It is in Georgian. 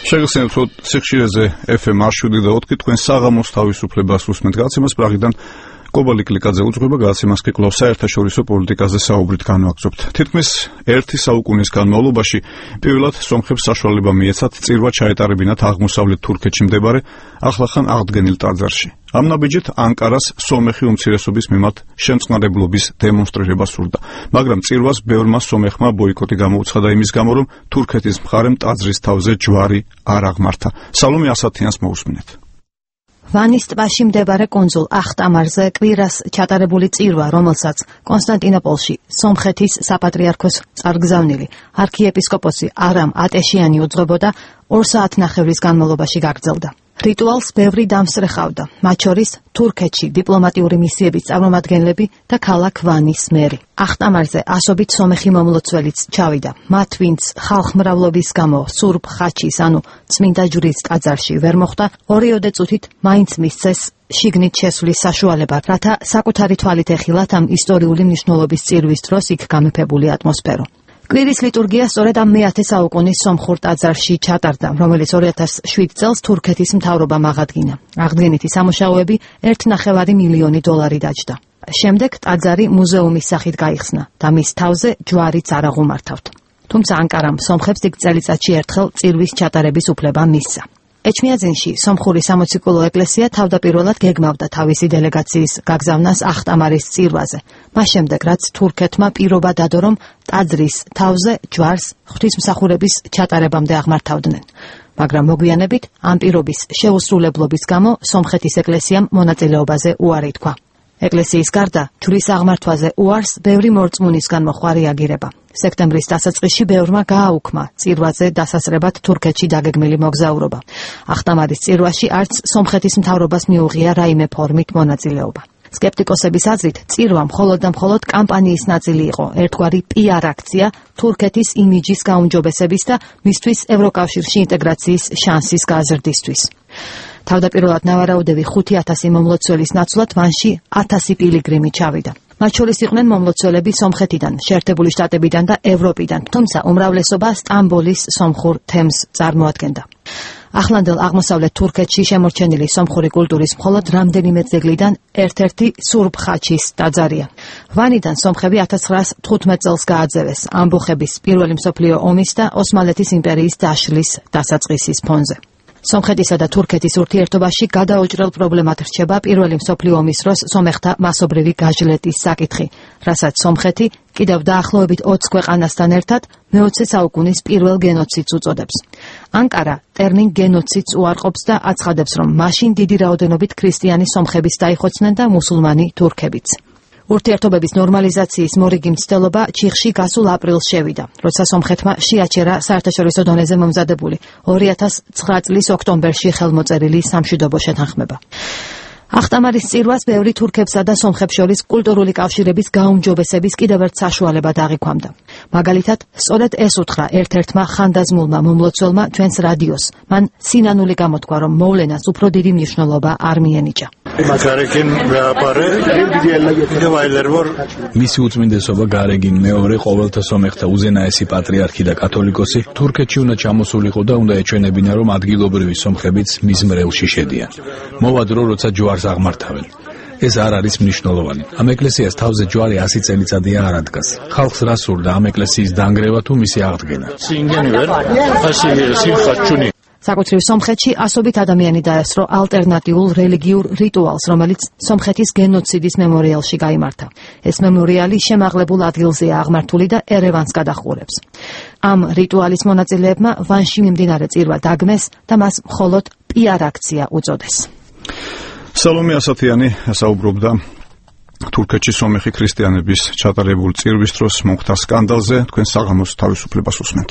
შეგახსენებთ, რომ სიხშირეზე FM 107 თქვენ საღამოს თავისუფლებას უსმენთ გაცემას პრაღიდან. კობალი კლიკაძე უძღვება გაცემას კი კვლავ საერთაშორისო პოლიტიკაზე საუბრით განვაგრძობთ. თითქმის ერთი საუკუნის განმავლობაში პირველად სომხებს საშუალება მიეცათ წირვა ჩაეტარებინათ აღმოსავლეთ თურქეთში მდებარე ახლახან აღდგენილ ტაძარში. ამ ნაბიჯით ანკარას სომეხი უმცირესობის მიმართ შემწყნარებლობის დემონსტრირება სურდა, მაგრამ წირვას ბევრმა სომეხმა ბოიკოტი გამოუცხადა იმის გამო, რომ თურქეთის მხარემ ტაძრის თავზე ჯვარი არ აღმართა. სალომე ასათიანს მოусმინეთ. ვანის ტბაში მდებარე კუნძულ ახტამარზე კვირას ჩატარებული წირვა, რომელსაც კონსტანტინოპოლში სომხეთის საპატრიარქოს წარგზავნილი არქიეპისკოპოსი არამ ატეშიანი უძღვებოდა 2 საათნახევრის განმავლობაში გაგრძელდა. რიტუალს ბევრი დამსწრე-ხავდა, მათ შორის თურქეთში დიპლომატიური მისიების წარმომადგენლები და ქალაქ ვანის მერი. ახტამარზე ასობით სომეხი მომლოცველიც ჩავიდა. მათ, ვინც ხალხმრავლობის გამო სურბ ხაჩის, ანუ წმინდა ჯვრის ტაძარში ვერ მოხვდა, 2 წუთით მაინც მისცეს შიგნით შესვლის საშუალება, რათა საკუთარი თვალით ეხილათ ამ ისტორიული მნიშვნელობის წირვის დროს იქ გამეფებული ატმოსფერო. კვირის ლიტურგია სწორედ ამ მე-10 საუკუნის სომხურ ტაძარში ჩატარდა, რომელიც 2007 წელს თურქეთის მთავრობამ აღადგინა. აღდგენითი სამუშაოები 1,5 მილიონი დოლარი დაჯდა. შემდეგ ტაძარი მუზეუმის სახით გაიხსნა და მის თავზე ჯვარიც არ აღუმართავთ. თუმცა ანკარამ სომხებს იქ წელიწადში ერთხელ წირვის ჩატარების უფლება მისცა. ეჩმიაძინში სომხური სამოციქულო ეკლესია თავდაპირველად გეგმავდა თავისი დელეგაციის გაგზავნას ახტამარის წირვაზე. მას შემდეგ, რაც თურქეთმა პირობა დადო, რომ ტაძრის თავზე ჯვარს ღვთისმსახურების ჩატარებამდე აღმართავდნენ. მაგრამ მოგვიანებით ამ პირობის შეუსრულებლობის გამო სომხეთის ეკლესიამ მონაწილეობაზე უარი თქვა. ეკლესიის გარდა ჯვრის აღმართვაზე უარს ბევრი მორწმუნისგან მოხდა რეაგირება. სექტემბრის დასაწყისში ბევრმა გააუქმა წირვაზე დასასრებად თურქეთში დაგეგმილი მოგზაურობა. ახტამარის წირვაში არც სომხეთის მთავრობას მიუღია რაიმე ფორმით მონაწილეობა. სკეპტიკოსების აზრით, წირვა მხოლოდ და მხოლოდ კამპანიის ნაწილი იყო, ერთგვარი PR აქცია თურქეთის იმიჯის გაუმჯობესების და მისთვის ევროკავშირში ინტეგრაციის შანსის გაზრდისთვის. თავდაპირველად ნავარაუდები 5,000 მომლოცველის ნაცვლად ვანში 1000 პილიგრიმი ჩავიდა. მათ შორის იყვნენ მომლოცველები სომხეთიდან, შეერთებული შტატებიდან და ევროპიდან, თუმცა უმრავლესობა სტამბოლის სომხურ თემს წარმოადგენდა. ახლანდელ აღმოსავლეთ თურქეთში შემორჩენილი სომხური კულტურის მხოლოდ რამდენიმე ძეგლიდან ერთ-ერთი სურბ ხაჩის ტაძარია. ვანიდან სომხები 1915 წელს გააძევეს ამბოხების პირველი მსოფლიო ომის და ოსმალეთის იმპერიის დაშლის დასაწყისის ფონზე. სომხეთისა და თურქეთის ურთიერთობაში გადაუჭრელ პრობლემად რჩება პირველი მსოფლიო ომის დროს სომეხთა მასობრივი გაჟლეტის საკითხი, რასაც სომხეთი კიდევ დაახლოებით 20 ქვეყანასთან ერთად მე-20 საუკუნის პირველ გენოციდს უწოდებს. ანკარა ტერმინ გენოციდს უარყოფს და აცხადებს, რომ მაშინ დიდი რაოდენობით ქრისტიანი სომხებიც დაიხოცნენ და მუსულმანი თურქებიც. ურთიერთობების ნორმალიზაციის მორიგი მცდელობა ჩიხში გასულ აპრილს შევიდა, როცა სომხეთმა შეაჩერა საერთაშორისო დონეზე მომზადებული 2009 წლის ოქტომბერში ხელმოწერილი სამშვიდობო შეთანხმება. ახტამარის წირვას ბევრი თურქებსა და სომხებს შორის კულტურული კავშირების გაუმჯობესების კიდევ ერთ საშუალებას აღიქვამდა. მაგალითად, სწორედ ეს უთხრა ერთ-ერთმა ხანდაზმულმა მომლოცველმა ჩვენს რადიოს. მან სინანული გამოთქვა, რომ მოვლენას უფრო დიდი მნიშვნელობა არ მიენიჭა. მისი უწმინდესობა გარეგინ მეორე ყოველთა სომეხთა უზენაესი პატრიარქი და კათოლიკოსი თურქეთში უნდა ჩამოსულიყო და უნდა ეჩვენებინა, რომ ადგილობრივი სომხებიც მის მრევლში შედიან. მოვა დრო, როცა ჯვარს აღმართავენ. ეს არ არის მნიშვნელოვანი. ამ ეკლესიას თავზე ჯვარი 100 წელიწადია არ ადგას. ხალხს რა სურდა ამ ეკლესიის დანგრევა თუ მისი აღდგენა? საკუთრივ სომხეთში ასობით ადამიანი დაესწრო ალტერნატიულ რელიგიურ რიტუალს, რომელიც სომხეთის გენოციდის მემორიალში გაიმართა. ეს მემორიალი შემაღლებულ ადგილზეა აღმართული და ერევანს გადაჰყურებს. ამ რიტუალის მონაწილეებმა ვანში მიმდინარე წირვა დაგმეს და მას მხოლოდ PR აქცია უწოდეს. სალომე ასათიანი საუბრობდა თურქეთში სომეხი ქრისტიანების ჩატარებულ წირვის დროს მომხდარ სკანდალზე. თქვენ საღამოს თავისუფლებას უსმენთ.